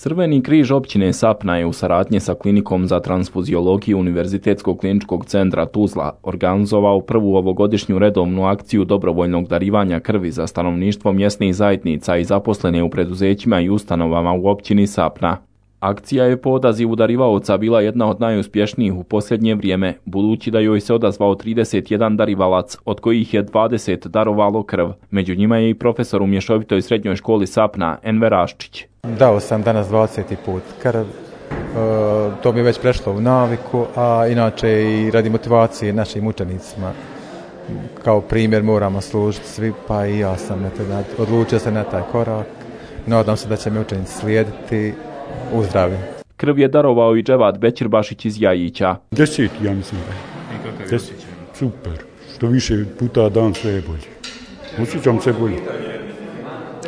Crveni križ općine Sapna je u saradnji sa Klinikom za transfuziologiju Univerzitetskog kliničkog centra Tuzla organizovao prvu ovogodišnju redovnu akciju dobrovoljnog darivanja krvi za stanovništvo mjesnih zajednica i zaposlene u preduzećima i ustanovama u općini Sapna. Akcija je po odazivu darivaoca bila jedna od najuspješnijih u posljednje vrijeme, budući da joj se odazvao 31 darivalac, od kojih je 20 darovalo krv. Među njima je i profesor u Mješovitoj srednjoj školi Sapna, Enver Raščić. Dao sam danas 20. put krv, to mi je već prešlo u naviku, a inače i radi motivacije našim učenicima. Kao primjer moramo služiti svi, pa i ja sam odlučio se na taj korak. Nadam se da će mi učenici slijediti u zdravlju. Krv je darovao i Dževad Bećirbašić iz Jajića. 10, ja mislim. I kakav je osjećaj? Super. Što više puta dan sve je bolje. Osjećam se bolje.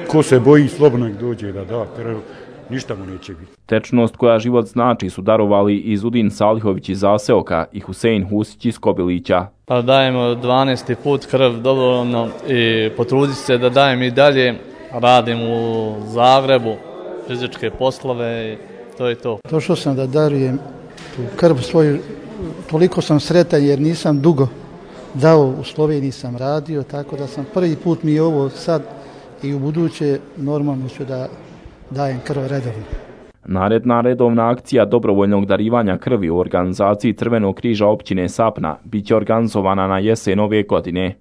Ko se boji, slobodno nek dođe da da krv, ništa mu neće biti. Tečnost koja život znači su darovali i Zudin Salihović iz Zaseoka i Husein Husić iz Kobilića. Pa dajemo 12. put krv dobrovoljno i potruditi se da dajem i dalje. Radim u Zagrebu, fizičke poslove i to je to. Došao sam da darujem tu krv svoju, toliko sam sretan jer nisam dugo dao, u Sloveniji sam radio, tako da sam prvi put mi je ovo sad i u buduće normalno ću da dajem krv redovno. Naredna redovna akcija dobrovoljnog darivanja krvi u organizaciji Crvenog križa općine Sapna bit će organizovana na jesen ove godine.